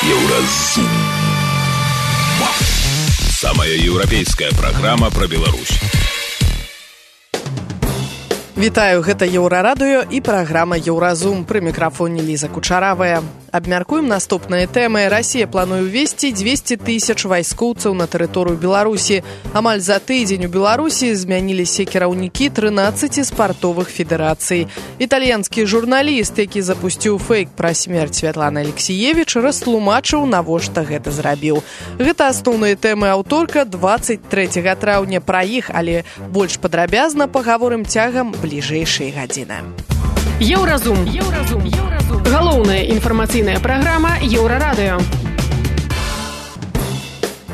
Еўразум. Самая еўрапейская праграма пра Беларусь. Вітаю, гэта Еўрарадыё і праграма Еўразум. Пры мікрафоне Ліза Кучаравая. Абмяркуем наступныя тэмы. Расія плануе ўвесці 200 тысяч вайскоўцаў на тэрыторыю Беларусі. Амаль за тыдзень у Беларусі змяніліся кіраўнікі 13 спартовых федэрацый. Італьянскі журналіст, які запусціў фейк пра смерць Святланы Алексіевіч, растлумачыў, навошта гэта зрабіў. Гэта асноўныя тэмы аўторка 23 траўня. Пра іх, але больш падрабязна пагаворым цягам бліжэйшай гадзіны. Еўразум. Галоўная інфармацыйная праграма Еўрарадыё.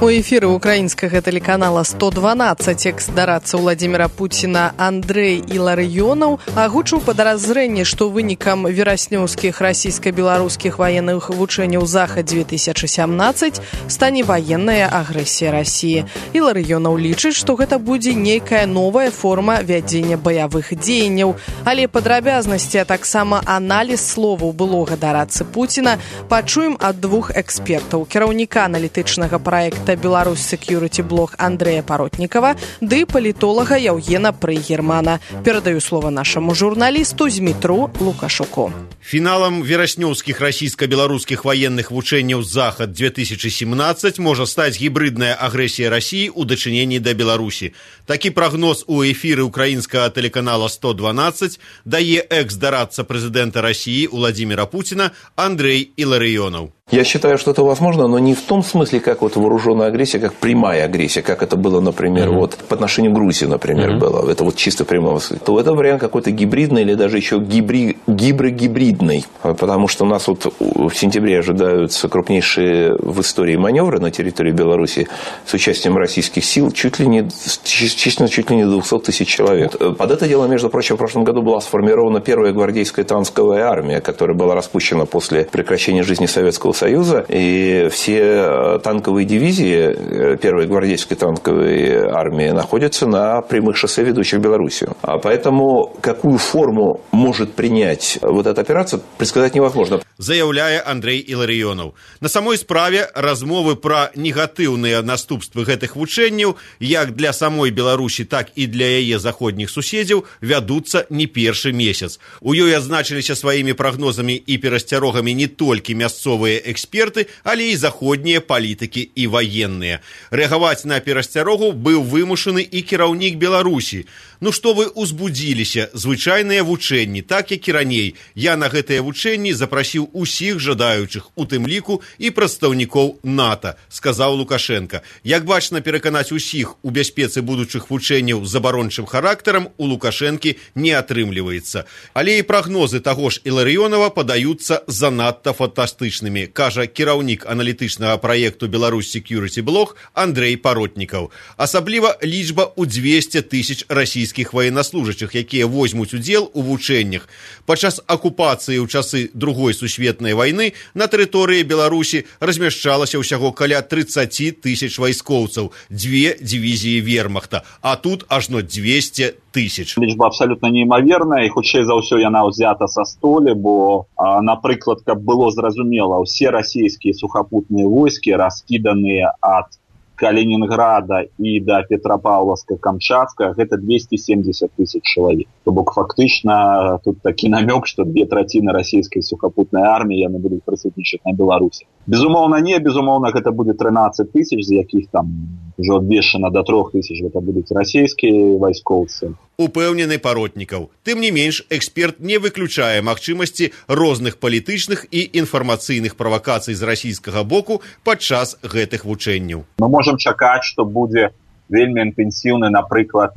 У эфіры украінскага тэлеканала 112 экс-дарадца Владзіміра Пуціна Андрэй Іларыёнаў агучыў падазрэнне, што вынікам вераснёўскіх расійска-беларускіх ваенных вучэнняў Захад-2017 стане ваенная агрэсія Расіі. Іларыёнаў лічыць, што гэта будзе нейкая новая форма вядзення баявых дзеянняў, але падрабязнасці, а таксама аналіз словаў былога дарадцы Пуціна пачуем ад двух экспертаў: кіраўніка аналітычнага праекта Беларусь Security Блог Андрэя Паротнікава ды палітолага Яўгена Прыгермана. Перадаю слова нашаму журналісту Змітру Лукашуку. Фіналам вераснёўскіх расійска-беларускіх ваенных вучэнняў Захад-2017 можа стаць гібридная агрэсія Расіі ў дачыненні да Беларусі. Такі прагноз у эфіры украінскага тэлеканала 112 дае экс-дарадца прэзідэнта Расіі Владзіміра Пуціна Андрэй Іларыёнаў. Я считаю, что это возможно, но не в том смысле, как вот вооруженная агрессия, как прямая агрессия, как это было, например, вот по отношению к Грузии, например, было. Это вот чисто прямого смысла. То это вариант какой-то гибридный или даже еще гибридный. Потому что у нас вот в сентябре ожидаются крупнейшие в истории маневры на территории Беларуси с участием российских сил, чуть ли не 200 тысяч человек. Под это дело, между прочим, в прошлом году была сформирована первая гвардейская танковая армия, которая была распущена после прекращения жизни Советского Союза, и все танковые дивизии первой гвардейской танковой армии находятся на прямых шоссе, ведущих в Белоруссию. А поэтому какую форму может принять вот эта операция, предсказать невозможно. Заяўляе Андрэй Іларыёнаў. На самой справе размовы пра негатыўныя наступствы гэтых вучэнняў як для самой Беларусі, так і для яе заходніх суседзяў вядуцца не першы месяц. У ёй адзначыліся сваімі прагнозамі і перасцярогамі не толькі мясцовыя эксперты, але і заходнія палітыкі і ваенныя. Рэагаваць на перасцярогу быў вымушаны і кіраўнік Беларусі. Ну што вы узбудзіліся? Звычайныя вучэнні, так як і раней. Я на гэтыя вучэнні запрасіў усіх жадаючых, у тым ліку і прадстаўнікоў НАТО, сказаў Лукашенко. Як бачна, пераканаць усіх у бяспецы будучых вучэнняў з абарончым характарам у Лукашэнкі не атрымліваецца. Але і прагнозы таго ж Іларыёнава падаюцца занадта фантастычнымі, кажа кіраўнік аналітычнага праекту Беларусь Security Блог Андрэй Паротнікаў. Асабліва лічба ў 200 тысяч расійскіх военнослужащих, якія возьмуць удзел у вучэннях. Падчас акупацыі ў часы Другой сусветнай вайны на тэрыторыі Беларусі размяшчалася ўсяго каля 30 тысяч вайскоўцаў, 2 дывізіі вермахта, а тут ажно 200 тысяч. Лічба абсалютна неймаверная, і хутчэй за ўсё яна ўзята са столі, бо, напрыклад, каб было зразумела, ўсе расійскія сухапутныя войскі раскіданыя ад Калининграда и до Петропавловска-Камчатска, это 270 тысяч человек. То бок фактично тут такі намек, что 2/3 российской сухопутной армии яны будут присутнічаць на Беларуси. Безумоўно не, безумоўно это будет 13 тысяч, з якіх там уже обвешано до 3 тысяч, это будут российские вайскоўцы. Упэўнены Паротнікаў. Тым не менш, эксперт не выключае магчымасці розных палітычных і інфармацыйных правакацый з расійскага боку падчас гэтых вучэнняў. Мы можем чакаць, што будзе вельмі інтэнсіўны, напрыклад,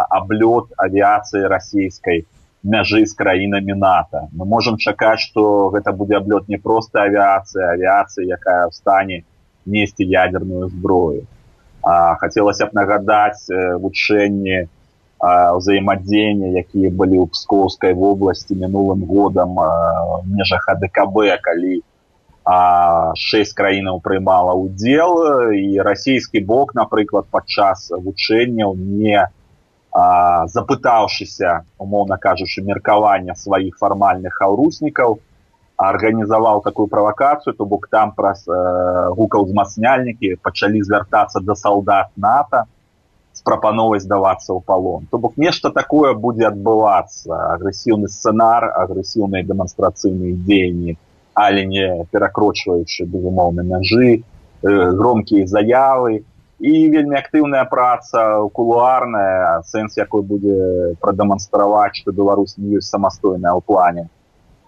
аблёт авіяцыі расійскай мяжы з краінамі НАТО. Мы можем чакаць, што гэта будзе аблёт не проста авіяцыя, якая ў стане несці ядерную зброю. Хацелася б нагадаць вучэнні взаимодействия, якія былі ў Пскоўскай вобласці мінулым годам в межах АДКБ, калі 6 краінаў прымала ўдзел, і расійскі бок, напрыклад, падчас вучэнняў не запытаўшыся, умоўна кажучы, меркавання сваіх фармальных хаўруснікаў, арганізаваў такую правакацыю, то бок там праз гукаўзмацняльнікі пачалі звяртацца да салдат НАТО з прапановай здавацца ў палон. То бок нешта такое будзе адбывацца, агрэсіўны сцэнар, агрэсіўныя дэманстрацыйныя дзеянні, але не перакрочваючы, безумоўна, мяжы, громкія заявы і вельмі актыўная праца кулуарная, сэнс якой будзе прадэманстраваць, што Беларусь не ёсць самастойная ў плане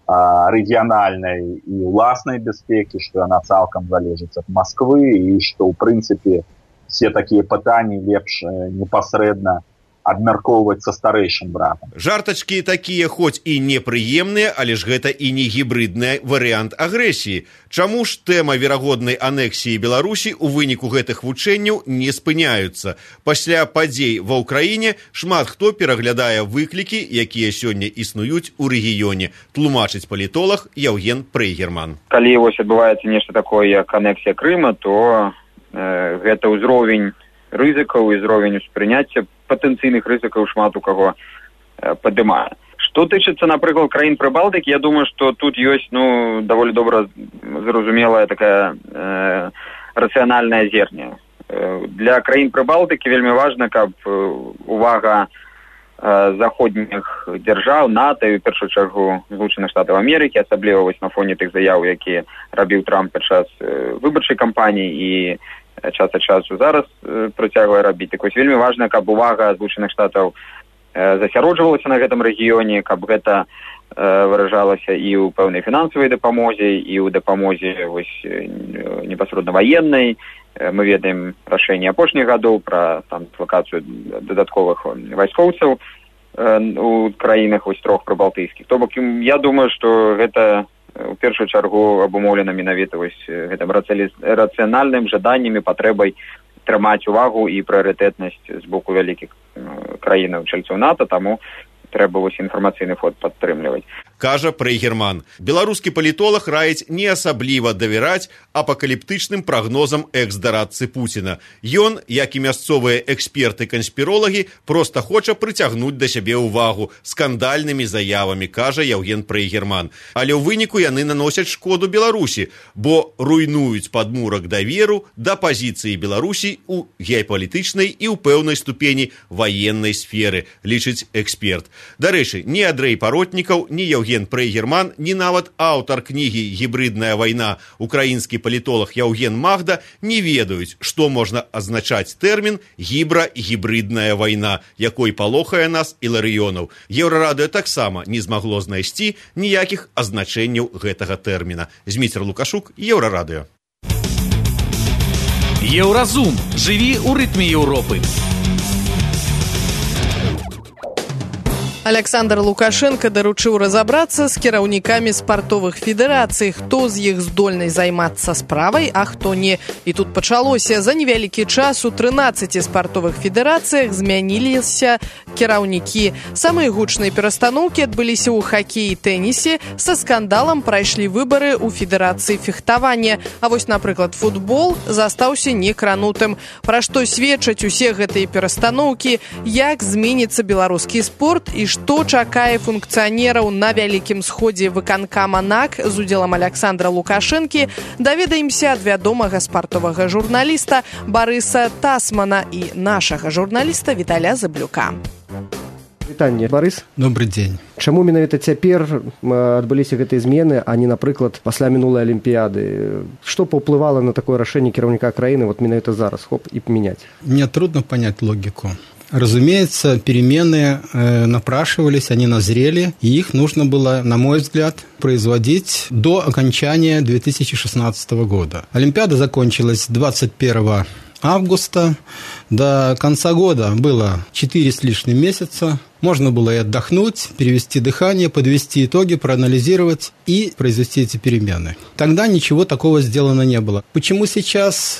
рэгіянальнай і ўласнай бяспекі, што яна цалкам залежыць ад Масквы і што, ў прынцыпе, все такія пытанні лепш непасрэдна абмяркоўваць са старэйшым братам. Жартачкі такія хоць і непрыемныя, але ж гэта і не гібридны варыянт агрэсіі. Чаму ж тэма верагоднай анексіі Беларусі ў выніку гэтых вучэнняў не спыняюцца? Пасля падзей ва ўкраіне шмат хто пераглядае выклікі, якія сёння існуюць у рэгіёне, тлумачыць палітолог Яўген Прейгерман. Калі вось адбываецца нешта такое, як анексія Крыма, то гэта ўзровень рызыкаў і ўзровень успрыняцця патэнцыйных рызыкаў шмат у каго падымае. Што тычыцца, напрыклад, краін Прыбалтыкі, я думаю, што тут ёсць даволі добра зразумелая такая рацыянальная зерня. Для краін Прыбалтыкі вельмі важна, каб увага заходніх дзяржаў, НАТО і, ў першую чаргу, Злучаных Штатаў Амерыкі, асабліва вось на фоне тых заяў, якія рабіў Трамп падчас выбарчай кампаніі і час ад часу зараз працягвае рабіць. Так вось вельмі важна, каб увага Злучаных Штатаў засяроджвалася на гэтым рэгіёне, каб гэта выражалася і ў пэўнай фінансавай дапамозе, і ў дапамозе вось непасрэдна ваеннай. Мы ведаем рашэнне апошніх гадоў пра там дыслакацыю дадатковых вайскоўцаў у краінах вось трох прыбалтыйскіх. То бок я думаю, што гэта у першую чаргу абумоўлена менавіта вось гэтым рацыянальным жаданнем і патрэбай трымаць увагу і прыярытэтнасць з боку вялікіх краінаў чальцоў НАТО, таму трэба вось інфармацыйны фон падтрымліваць. Кажа Прейгерман. Беларускі палітолог раіць не асабліва давяраць апакаліптычным прагнозам экс-дарадцы Пуціна. Ён, як і мясцовыя эксперты-канспіролагі, проста хоча прыцягнуць да сябе ўвагу скандальнымі заявамі, кажа Яўген Прейгерман. Але ў выніку яны наносяць шкоду Беларусі, бо руйнуюць падмурак даверу да пазіцыі Беларусі ў геапалітычнай і ў пэўнай ступені ваеннай сферы, лічыць эксперт. Дарэчы, ні Андрэй Паротнікаў, ні Яўген Прейгерман, ні нават аўтар кнігі «Гібридная вайна» украінскі палітолог Яўген Магда не ведаюць, што можна азначаць тэрмін «гібридная вайна», якой палохае нас Іларыёнаў. Еўрарадыё таксама не змагло знайсці ніякіх азначэнняў гэтага тэрміна. Зміцер Лукашук, Еўрарадыё. Еўразум. Жыві ў рытме Еўропы. Александр Лукашенко даручыў разабрацца з кіраўнікамі спартовых федэрацый, хто з іх здольны займацца справай, а хто не. І тут пачалося. За невялікі час у 13 спартовых федэрацыях змяніліся кіраўнікі. Самыя гучныя перастаноўкі адбыліся ў хакеі і тэнісе. Са скандалам прайшлі выбары ў федэрацыі фехтавання. А вось, напрыклад, футбол застаўся некранутым. Пра што сведчаць усе гэтыя перастаноўкі, як зменіцца беларускі спорт і што чакае функцыянераў на вялікім сходзе выканкама НАК з удзелам Александра Лукашэнкі, даведаемся ад вядомага спартовага журналіста Барыса Тасмана і нашага журналіста Віталя Заблюка. Вітанне, Барыс. Добрый дзень. Чаму менавіта цяпер адбыліся гэтыя змены, а не, напрыклад, пасля минулай Алімпіяды? Што паўплывала на такое рашэнне кіраўніка краіны вот менавіта зараз, хоп, і памяняць? Мне трудно понять логику. Разумеется, перемены напрашивались, они назрели, и их нужно было, на мой взгляд, производить до окончания 2016 года. Олимпиада закончилась 21 августа. До конца года было 4 с лишним месяца. Можно было и отдохнуть, перевести дыхание, подвести итоги, проанализировать и произвести эти перемены. Тогда ничего такого сделано не было. Почему сейчас...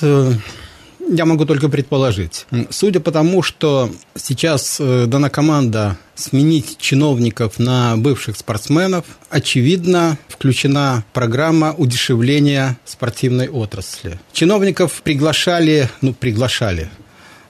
Я могу только предположить. Судя по тому, что сейчас дана команда сменить чиновников на бывших спортсменов, очевидно, включена программа удешевления спортивной отрасли. Чиновников приглашали.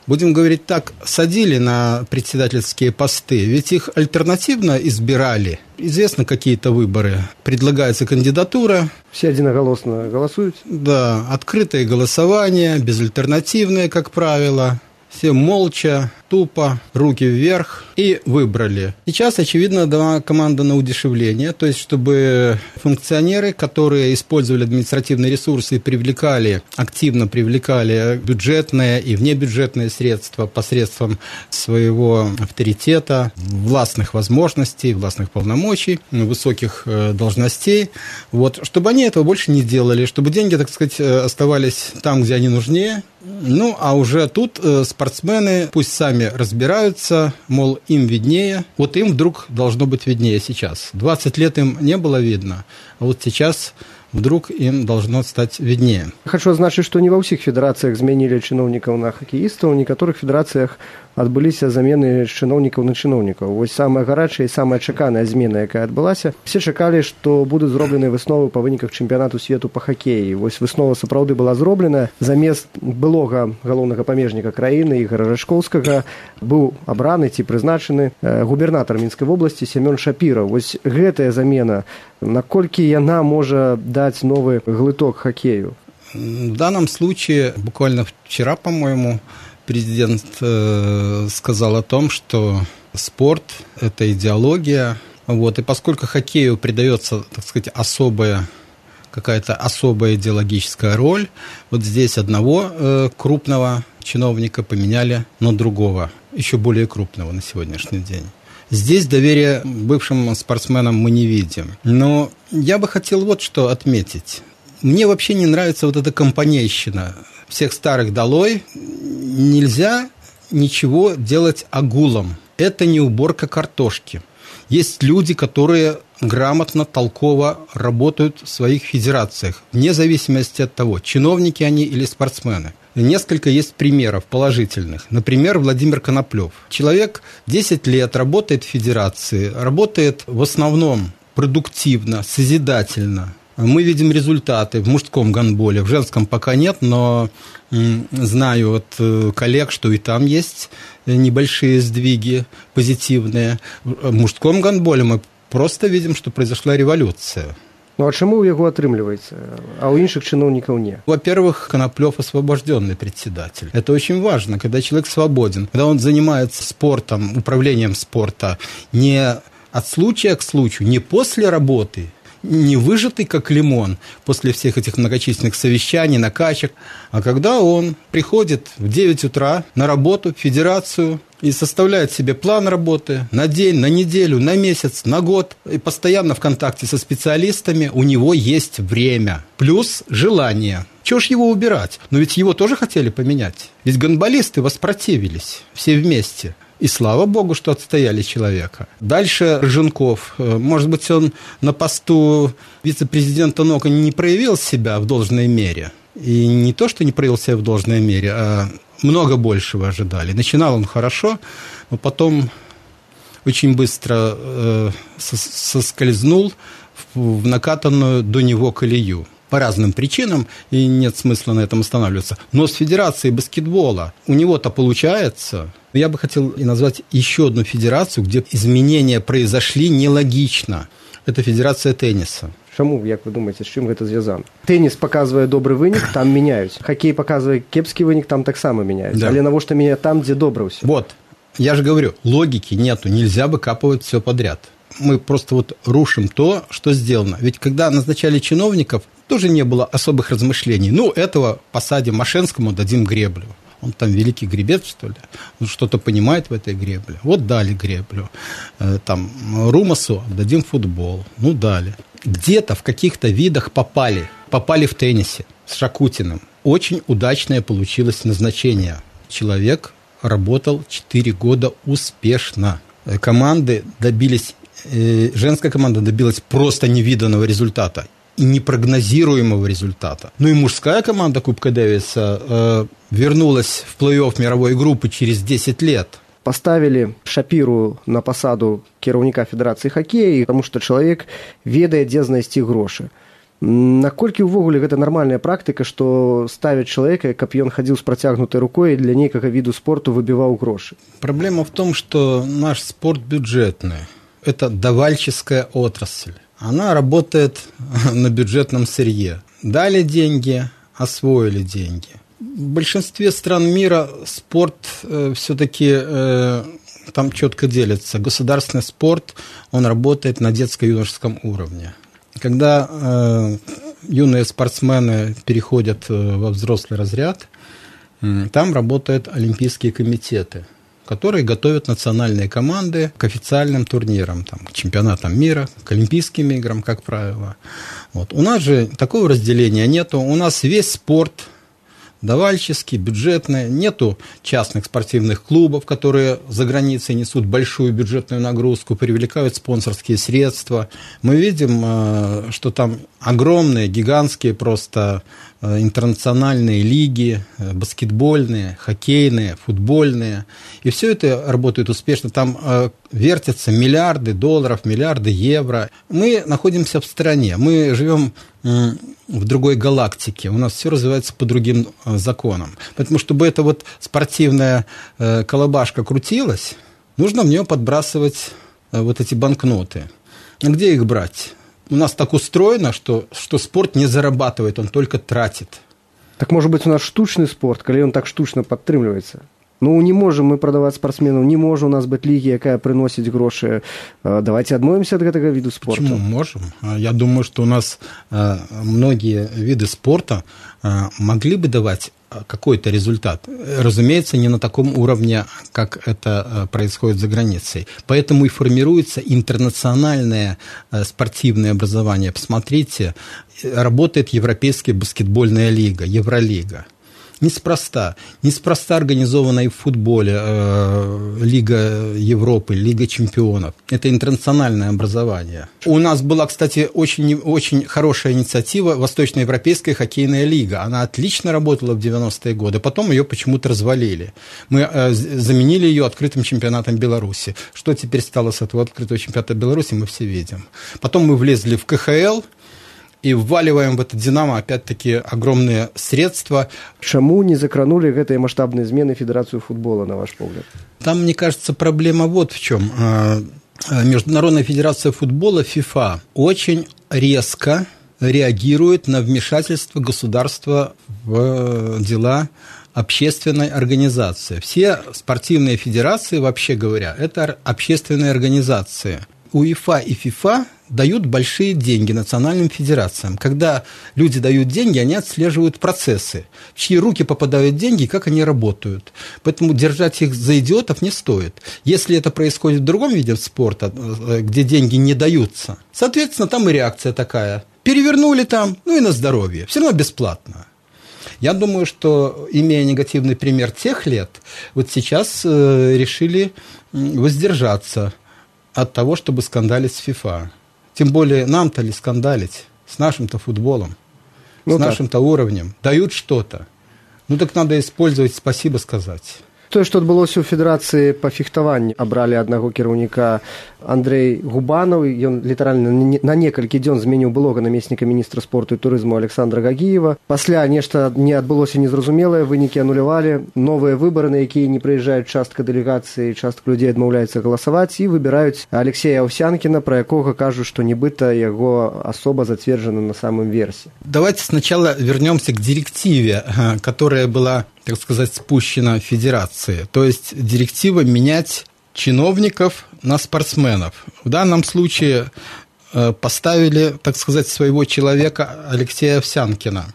будем говорить так, садили на председательские посты, ведь их альтернативно избирали. Известно, какие-то выборы. Предлагается кандидатура. Все единоголосно голосуют? Да, открытое голосование, безальтернативное, как правило. Все молча, тупо, руки вверх и выбрали. Сейчас, очевидно, дана команда на удешевление, то есть, чтобы функционеры, которые использовали административные ресурсы и активно привлекали бюджетные и внебюджетные средства посредством своего авторитета, властных возможностей, властных полномочий, высоких должностей, вот, чтобы они этого больше не делали, чтобы деньги, так сказать, оставались там, где они нужнее. Ну, а уже тут спортсмены пусть сами разбираются, мол, им виднее. Вот им вдруг должно быть виднее сейчас. 20 лет им не было видно, а вот сейчас вдруг им должно стать виднее. Хочу адзначыць, што не ва ўсіх федэрацыях змянілі чыноўнікаў на хакеістаў, у некаторых федэрацыях адбыліся замены чыноўнікаў на чыноўнікаў. Вось самая гарачая і самая чаканая змена, якая адбылася. Все чакалі, што будуць зроблены высновы па выніках чэмпіянату свету па хакеі. Вось выснова сапраўды была зроблена. Замест былога галоўнага памежніка краіны Ігора Рачкоўскага быў абраны ці прызначаны губернатар Мінскай вобласці Семён Шапіраў. Вось гэтая замена, наколькі яна можа даць новый глыток хоккею? В данном случае, буквально вчера, по-моему, президент сказал о том, что спорт – это идеология. Вот, и поскольку хоккею придается, так сказать, какая-то особая идеологическая роль, вот здесь одного крупного чиновника поменяли на другого, еще более крупного на сегодняшний день. Здесь доверия бывшим спортсменам мы не видим. Но я бы хотел вот что отметить. Мне вообще не нравится вот эта компанейщина. Всех старых долой. Нельзя ничего делать огулом. Это не уборка картошки. Есть люди, которые грамотно, толково работают в своих федерациях, вне зависимости от того, чиновники они или спортсмены. Несколько есть примеров положительных. Например, Владимир Коноплев. Человек 10 лет работает в федерации, работает в основном продуктивно, созидательно. Мы видим результаты в мужском гандболе, в женском пока нет, но знаю от коллег, что и там есть небольшие сдвиги позитивные. В мужском гандболе мы просто видим, что произошла революция. Ну а чему у него отрымливается, а у іншых чиновников нет? Во-первых, Коноплев освобожденный председатель. Это очень важно, когда человек свободен, когда он занимается спортом, управлением спорта не от случая к случаю, не после работы, не выжатый как лимон после всех этих многочисленных совещаний, накачек, а когда он приходит в 9 утра на работу в федерацию и составляет себе план работы на день, на неделю, на месяц, на год, и постоянно в контакте со специалистами, у него есть время, плюс желание. Чего ж его убирать? Но ведь его тоже хотели поменять. Ведь гандболисты воспротивились все вместе. И слава богу, что отстояли человека. Дальше Рыженков. Может быть, он на посту вице-президента НОКа не проявил себя в должной мере. И не то, что не проявил себя в должной мере, а много большего ожидали. Начинал он хорошо, но потом очень быстро соскользнул в накатанную до него колею. По разным причинам, и нет смысла на этом останавливаться. Но с Федерацией баскетбола у него-то получается. Я бы хотел назвать еще одну федерацию, где изменения произошли нелогично. Это Федерация тенниса. Чому, як ви думаєте, з чим гэта зв'язано? Теніс показывае добрый вынік, там меняюць. Хоккей показывае кепскі вынік, там таксама меняюць. Да. Але навошта мяняць там, где добра ўсё? Вот, я же говорю, логики нету, нельзя выкапывать все подряд. Мы просто вот рушим то, что сделано. Ведь когда назначали чиновников, тоже не было особых размышлений. Ну, этого посадим Мошенскому, дадим греблю. Он там великий гребец, что ли? Он что-то понимает в этой гребле. Вот дали греблю. Там Румасу дадим футбол. Ну, дали. Где-то в каких-то видах попали. Попали в теннисе с Шакутиным. Очень удачное получилось назначение. Человек работал 4 года успешно. Команды добились... Женская команда добилась просто невиданного результата и непрогнозируемого результата. Ну и мужская команда Кубка Дэвиса вернулась в плей-офф мировой группы через 10 лет. Поставили Шапіру на посаду кіраўніка Федерации хоккея, потому что человек ведает, где знайсці грошы. Наколькі ўвогуле гэта нармальная практыка, што ставяць чалавека, каб ён хадзіў з працягнутай рукой і для нейкага віду спорту выбіваў грошы? Проблема в том, что наш спорт бюджетный. Это давальческая отрасль. Она работает на бюджетном сырье. Дали деньги, освоили деньги. В большинстве стран мира спорт все-таки там четко делится. Государственный спорт, он работает на детско-юношеском уровне. Когда юные спортсмены переходят во взрослый разряд, там работают олимпийские комитеты, которые готовят национальные команды к официальным турнирам, там, к чемпионатам мира, к Олимпийским играм, как правило. Вот. У нас же такого разделения нету. У нас весь спорт давальческий, бюджетный. Нету частных спортивных клубов, которые за границей несут большую бюджетную нагрузку, привлекают спонсорские средства. Мы видим, что там огромные, гигантские просто интернациональные лиги, баскетбольные, хоккейные, футбольные. И все это работает успешно. Там вертятся миллиарды долларов, миллиарды евро. Мы находимся в стране, мы живем в другой галактике. У нас все развивается по другим законам. Поэтому, чтобы эта вот спортивная колобашка крутилась, нужно в нее подбрасывать вот эти банкноты. А где их брать? У нас так устроено, что спорт не зарабатывает, он только тратит. Так может быть у нас штучный спорт, когда он так штучно подтрымліваецца? Ну, не можем мы продавать спортсменов, не может у нас быть лиги, якая приносит гроши. Давайте отмоемся от этого вида спорта. Почему можем? Я думаю, что у нас многие виды спорта могли бы давать какой-то результат. Разумеется, не на таком уровне, как это происходит за границей. Поэтому и формируется интернациональное спортивное образование. Посмотрите, работает Европейская баскетбольная лига, Евролига. Неспроста организована и в футболе Лига Европы, Лига чемпионов. Это интернациональное образование. У нас была, кстати, очень хорошая инициатива Восточноевропейская хоккейная лига. Она отлично работала в 90-е годы. Потом ее почему-то развалили. Мы заменили ее открытым чемпионатом Беларуси. Что теперь стало с этого открытого чемпионата Беларуси, мы все видим. Потом мы влезли в КХЛ, и вваливаем в это «Динамо» опять-таки огромные средства. Чему не закранули гэтые масштабные измены Федерацию футбола, на ваш взгляд? Там, мне кажется, проблема вот в чем. Международная федерация футбола, ФИФА, очень резко реагирует на вмешательство государства в дела общественной организации. Все спортивные федерации, вообще говоря, это общественные организации. УЕФА и ФИФА дают большие деньги национальным федерациям. Когда люди дают деньги, они отслеживают процессы, в чьи руки попадают деньги и как они работают. Поэтому держать их за идиотов не стоит. Если это происходит в другом виде спорта, где деньги не даются, соответственно, там и реакция такая. Перевернули там, ну и на здоровье. Все равно бесплатно. Я думаю, что, имея негативный пример тех лет, вот сейчас решили воздержаться от того, чтобы скандалить с ФИФА. Тем более нам-то ли скандалить с нашим-то футболом, с нашим-то уровнем. Дают что-то. Ну так надо использовать, спасибо сказать. Тое, што адбылося ў Федэрацыі па фехтаванні, абралі аднаго кіраўніка Андрэй Губанаў, ён літаральна на некалькі дзён зменіў былога намесніка міністра спорту і турызму Александра Гагіева. Пасля нешта не адбылося незразумелае, вынікі анулявалі, новыя выбары, на якія не прыязджаюць частка дэлегацыі, частка людзей адмаўляецца галасаваць і выбіраюць Алексея Овсянкіна, пра якога кажуць, што нібыта яго асоба зацверджана на самым версе. Давайте сначала вернемся к директиве, которая была, так сказать, спущена Федерации. То есть директива менять чиновников на спортсменов. В данном случае поставили, так сказать, своего человека Алексея Овсянкина.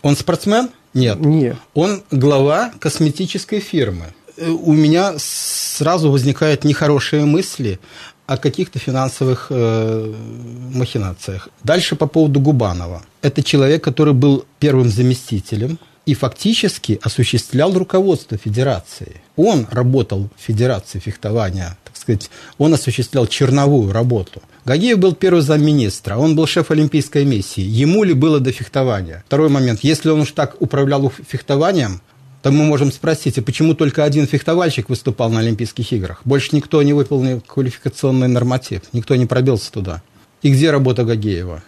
Он спортсмен? Нет. Нет. Он глава косметической фирмы. У меня сразу возникают нехорошие мысли о каких-то финансовых махинациях. Дальше по поводу Губанова. Это человек, который был первым заместителем и фактически осуществлял руководство Федерации. Он работал в Федерации фехтования, так сказать, он осуществлял черновую работу. Гагиев был первый замминистра, он был шеф олимпийской миссии. Ему ли было до фехтования? Второй момент. Если он уж так управлял фехтованием, то мы можем спросить, а почему только один фехтовальщик выступал на Олимпийских играх? Больше никто не выполнил квалификационный норматив, никто не пробился туда. И где работа Гагиева?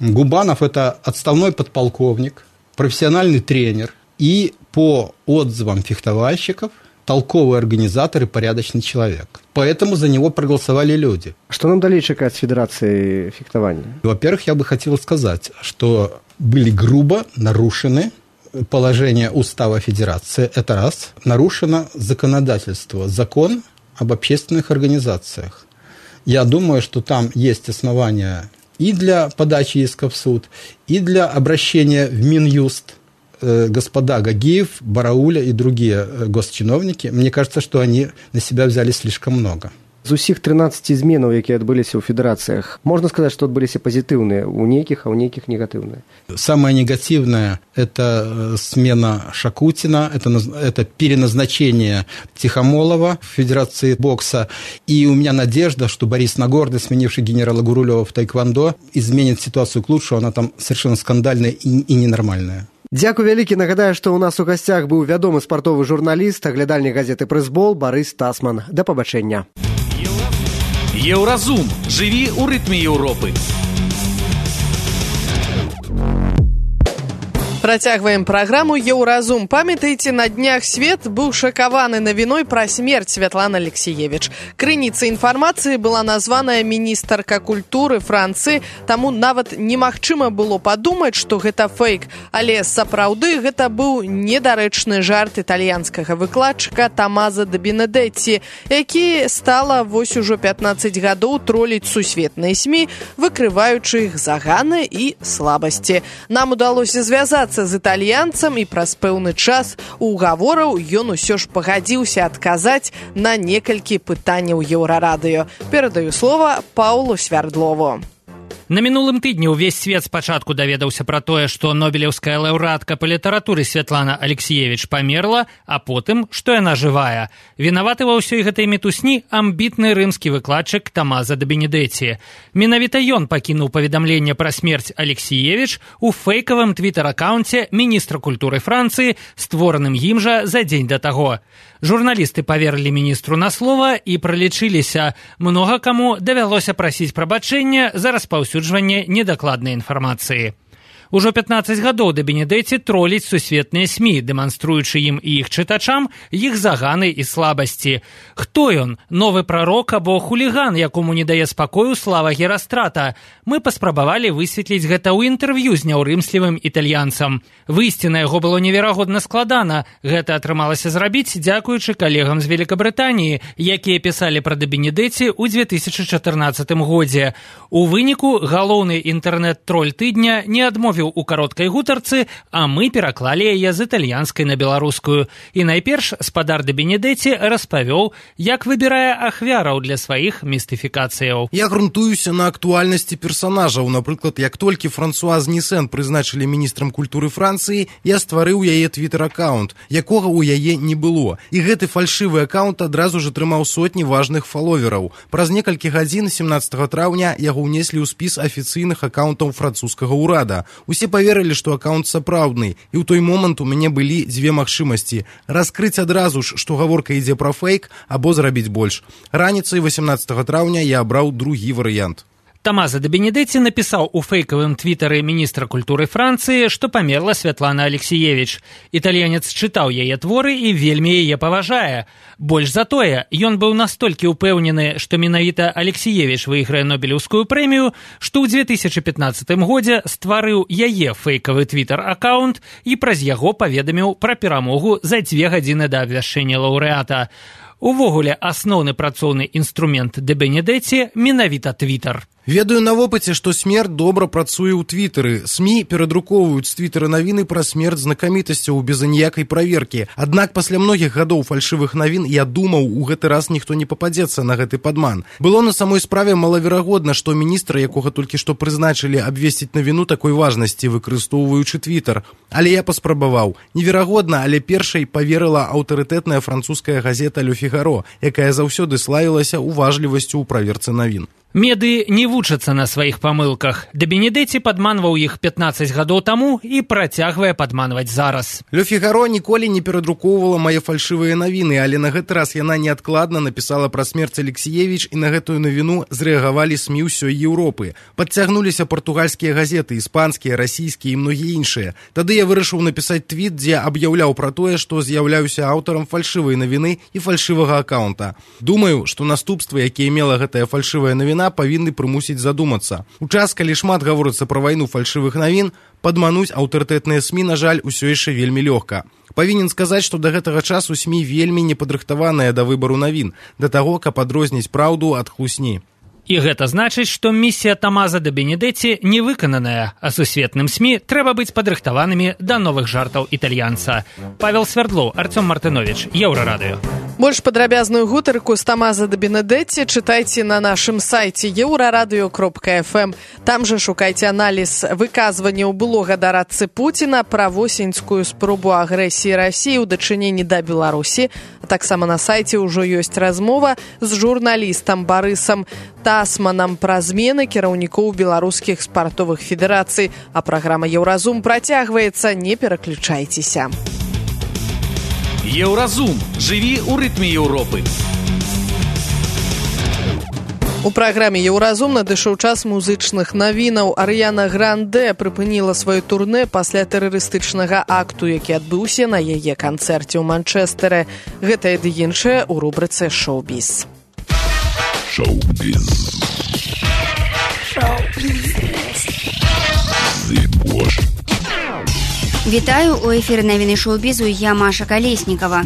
Губанов – это отставной подполковник, профессиональный тренер и, по отзывам фехтовальщиков, толковый организатор и порядочный человек. Поэтому за него проголосовали люди. Что нам далее чекать с Федерацией фехтования? Во-первых, я бы хотел сказать, что были грубо нарушены положения Устава Федерации. Это раз. Нарушено законодательство, закон об общественных организациях. Я думаю, что там есть основания и для подачи иска в суд, и для обращения в Минюст. Господа Гагиев, Барауля и другие госчиновники, мне кажется, что они на себя взяли слишком много. З усіх 13 зменаў, якія адбыліся ў федэрацыях, можна сказаць, што адбыліся пазітыўныя ў нейкіх, а ў нейкіх негатыўныя. Самое негативное – это смена Шакутина, это переназначение Тихомолова в Федерации бокса. И у меня надежда, что Борис Нагорный, сменивший генерала Гурулева в тайквондо, изменит ситуацию к лучшему, она там совершенно скандальная и ненормальная. Дзякуй вялікі. Нагадаю, што ў нас у гасцях быў вядомы спартовы журналіст, аглядальнік газеты «Прэсбол» Барыс Тасман. Да пабачэння. Еўразум. Жыві ў рытме Еўропы. Працягваем праграму «Еўразум». Памятаеце, на днях свет быў шакаваны навіной пра смерць Святланы Алексіевіч. Крыніцай інфармацыі была названая міністарка культуры Францыі, таму нават немагчыма было падумаць, што гэта фейк. Але сапраўды гэта быў недарэчны жарт італьянскага выкладчыка Тамаза де Бенедетці, які стала вось ужо 15 гадоў троліць сусветныя СМІ, выкрываючы іх заганы і слабасці. Нам удалося звязацца з італьянцам, і праз пэўны час угавораў ён усё ж пагадзіўся адказаць на некалькі пытанняў Еўрарадыё. Перадаю слова Паўлу Свярдлову. На мінулым тыдні ўвесь свет спачатку даведаўся пра тое, што нобелеўская лаўрэатка па літаратуры Святлана Алексіевіч памерла, а потым, што яна жывая. Вінаваты ва ўсёй гэтай мітусні амбітны рымскі выкладчык Тамаза де Бенедетці. Менавіта ён пакінуў паведамленне пра смерць Алексіевіч у фейкавым твітар-акаунце міністра культуры Францыі, створаным ім жа за дзень да таго. Журналісты паверылі міністру на слова і пралічыліся. Многа каму давялося прасіць прабачэння за распаўсюджванне недакладнай інфармацыі. Ужо 15 гадоў де Бенедетці троліць сусветныя СМІ, дэманструючы ім і іх чытачам іх заганы і слабасці. Хто ён? Новы прарок або хуліган, якому не дае спакою слава Герастрата? Мы паспрабавалі высветліць гэта ў інтэрв'ю з няўрымслівым італьянцам. Выйсці на яго было неверагодна складана. Гэта атрымалася зрабіць дзякуючы калегам з Великабрытаніі, якія пісалі пра де Бенедетці ў 2014 годзе. У выніку галоўны інтэрнэт-троль тыдня не адмовіў у кароткай гутарцы, а мы пераклалі яе з італьянскай на беларускую. І найперш спадар де Бенедетці распавёў, як выбірае ахвяраў для сваіх містыфікацыяў. Я грунтуюся на актуальнасці персанажаў. Напрыклад, як толькі Франсуаз Нісэн прызначылі міністрам культуры Францыі, я стварыў яе твітар-акаунт, якога ў яе не было. І гэты фальшывы акаунт адразу ж атрымаў сотні важных фаловераў. Праз некалькі гадзін 17 траўня яго ўнеслі ў спіс афіцыйных акаунтаў французскага ўрада. Усе паверылі, што акаунт сапраўдны, і ў той момант у мяне былі дзве магчымасці: раскрыць адразу ж, што гаворка ідзе пра фейк, або зрабіць больш. Раніцай 18 траўня я абраў другі варыянт. Тамаза де Бенедетці напісаў у фейкавым твітары міністра культуры Францыі, што памерла Святлана Алексіевіч. Італьянец чытаў яе творы і вельмі яе паважае. Больш за тое, ён быў настолькі ўпэўнены, што менавіта Алексіевіч выйграе нобелеўскую прэмію, што ў 2015 годзе стварыў яе фейкавы твітар-акаунт і праз яго паведаміў пра перамогу за 2 гадзіны да абвяшчэння лаўрэата. Увогуле, асноўны працоўны інструмент де Бенедетці менавіта твітар. Ведаю на вопыце, што смерць добра працуе ў твітары. СМІ перадрукоўваюць з твітара навіны пра смерць знакамітасцяў без аніякай праверкі. Аднак пасля многіх гадоў фальшывых навін я думаў, у гэты раз ніхто не пападзецца на гэты падман. Было на самой справе малаверагодна, што міністра, якога толькі што прызначылі, абвесціць навіну такой важнасці, выкарыстоўваючы твітар. Але я паспрабаваў. Неверагодна, але першай паверыла аўтарытэтная французская газета «Ле Фігаро», якая заўсёды славілася уважлівасцю ў праверцы навін. Меды не вучацца на сваіх памылках. Де Бенедетти падманваў іх 15 гадоў таму і працягвае падманваць зараз. Ле Фігаро ніколі не перадрукоўвала мае фальшывыя навіны, але на гэты раз яна неадкладна напісала пра смерць Алексіевіч, і на гэтую навіну зрэагавалі СМІ ўсёй Еўропы. Падцягнуліся партугальскія газеты, іспанскія, расійскія і многія іншыя. Тады я вырашыў напісаць твіт, дзе аб'яўляў пра тое, што з'яўляюся аўтарам фальшывай навіны і фальшывага акаунта. Думаю, што наступствы, якія мела гэтая фальшывая навіна, павінны прымусіць задумацца. У час, калі шмат гаворыцца пра вайну фальшывых навін, падмануць аўтарытэтныя СМІ, на жаль, усё яшчэ вельмі лёгка. Павінен сказаць, што да гэтага часу СМІ вельмі непадрыхтаваныя да выбару навін, да таго, каб адрозніць праўду ад хлусні. І гэта значыць, што місія Томазо де Бенедетти не выкананая, а сусветным СМІ трэба быць падрыхтаванымі да новых жартаў італьянца. Павел Свердлоў, Артём Мартынович, Еўрарадыё. Больш падрабязную гутарку з Томазо де Бенедетти чытайце на нашым сайце euraradыё.fm. Там жа шукайце аналіз выказванняў былога дарадцы Пуціна пра восеньскую спробу агрэсіі Расіі ў дачыненні да Беларусі. А таксама на сайце ўжо ёсць размова з журналістам Барысам Тасманам пра змены кіраўнікоў беларускіх спартовых федэрацый. А праграма «Еўразум» працягваецца, не пераключайцеся. Еўразум. Жыві ў рытме Еўропы. У праграме «Еўразум» надышоў час музычных навінаў. Арыяна Гранде прыпыніла сваё турнэ пасля тэрарыстычнага акту, які адбыўся на яе канцэрце ў Манчэстэры. Гэтае ды іншае ў рубрыцы «Шоу-біз». Шоу-біз. Вітаю, у эфіры навіны шоу-бізу, я Маша Калеснікава.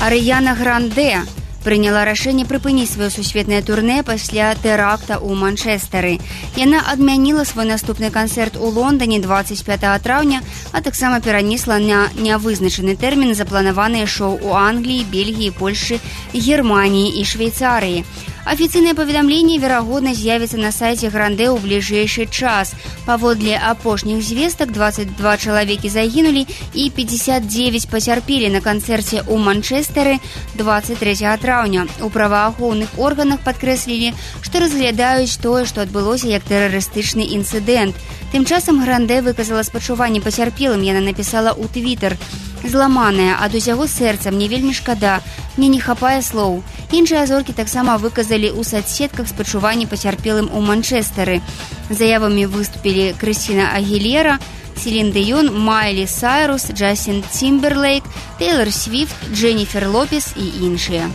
Арыяна Гранде прыняла рашэнне прыпыніць сваё сусветнае турнэ пасля тэракта ў Манчэстэры. Яна адмяніла свой наступны канцэрт у Лондоне 25 траўня, а таксама перанесла на нявызначаны тэрмін запланаваныя шоу ў Англіі, Бельгіі, Польшы, Германіі і Швейцарыі. Афіцыйнае паведамленне, верагодна, з'явіцца на сайце Гранде ў бліжэйшы час. Паводле апошніх звестак, 22 чалавекі загінулі і 59 пацярпелі на канцэрце ў Манчэстэры 23 траўня. У праваахоўных органах падкрэслілі, што разглядаюць тое, што адбылося як тэрарыстычны інцыдэнт. Тым часам Гранде выказала спачуванне пацярпелым, яна напісала ў Твітер: «Зламаная, ад усяго сэрца, мне вельмі шкада, мне не хапае слоў». Іншыя зоркі таксама выказалі ў сацсетках спачуванні пацярпелым у Манчэстэры. Заявамі выступілі Крысціна Агілера, Селін Дыён, Майлі Сайрус, Джастин Тимберлейк, Тейлор Свифт, Дженніфер Лопес і іншыя.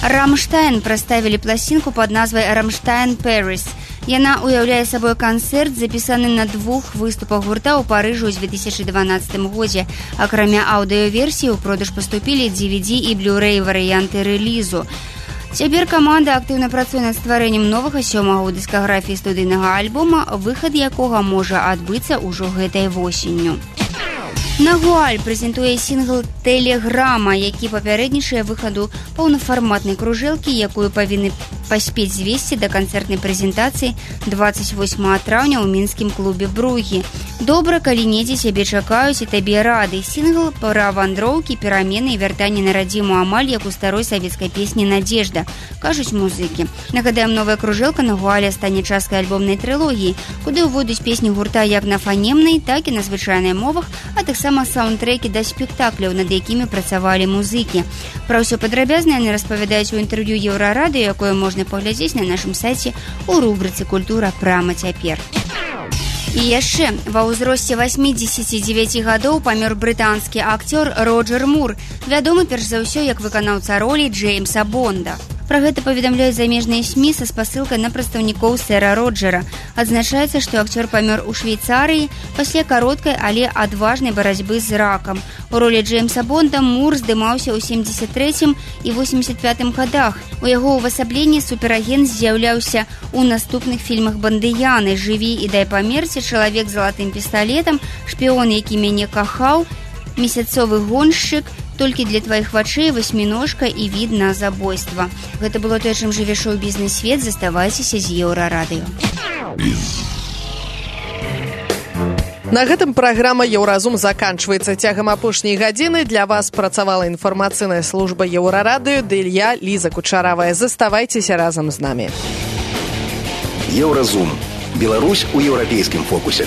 Рамштайн прадставілі пласцінку пад назвай «Рамштайн Пэрис». Яна уяўляе сабой канцэрт, запісаны на 2 выступах гурта ў Парыжы ў 2012 годзе. Акрамя аўдыёверсіі ў продаж паступілі DVD і Blu-ray варыянты рэлізу. Цяпер каманда актыўна працуе над стварэннем новага 7-го ў дыскаграфіі студыйнага альбома, выхад якога можа адбыцца ўжо гэтай восенню. Нагуаль прэзентуе сінгл «Тэлеграма», які папярэднічае выхаду паўнафарматнай кружэлкі, якую павінны паспець звесці да канцэртнай прэзентацыі 28 траўня ў мінскім клубе «Бругі». Добра, калі недзе сябе чакаюць і табе рады. Сінгл пра вандроўкі, перамены і вяртанне на радзіму амаль як у старой савецкай песні «Надежда», кажуць музыкі. Нагадаем, новая кружэлка Нагуаля стане часткай альбомнай трылогіі, куды ўводзяць песні гурта як на фанемнай, так і на звычайнай мовах, а таксама саундтрэкі да спектакляў, над якімі працавалі музыкі. Пра ўсё падрабязна яны распавядаюць у інтэрв'ю Еўрарадыё, якое можна паглядзець на нашым сайце ў рубрыцы «Культура прама цяпер». І яшчэ, ва ўзросце 89 гадоў памёр брытанскі акцёр Роджер Мур, вядомы перш за ўсё як выканаўца ролі Джеймса Бонда. Пра гэта паведамляюць замежныя СМІ са спасылкай на прадстаўнікоў сэра Роджера. Адзначаецца, што акцёр памёр у Швейцарыі пасля кароткай, але адважнай барацьбы з ракам. У ролі Джеймса Бонда Мур здымаўся ў 73 і 85 гадах. У яго ўвасабленні суперагент з'яўляўся у наступных фільмах «Бандыяны», «Жыві і дай памерці», «Чалавек з залатым пісталетам», «Шпіён, які мяне кахаў», «Месяцовы гоншчык», «Толькі для тваіх вачэй», «Васьміножка» і «Від на забойства». Гэта было тое, чым жыве шоу-бізнес-свет. Заставайцеся з Еўрарадыё. На гэтым праграма «Еўразум» заканчваецца. Цягам апошняй гадзіны для вас працавала інфармацыйная служба Еўрарадыё, ды я, Ліза Кучаравая. Заставайцеся разам з намі. «Еўразум». Беларусь у еўрапейскім фокусе.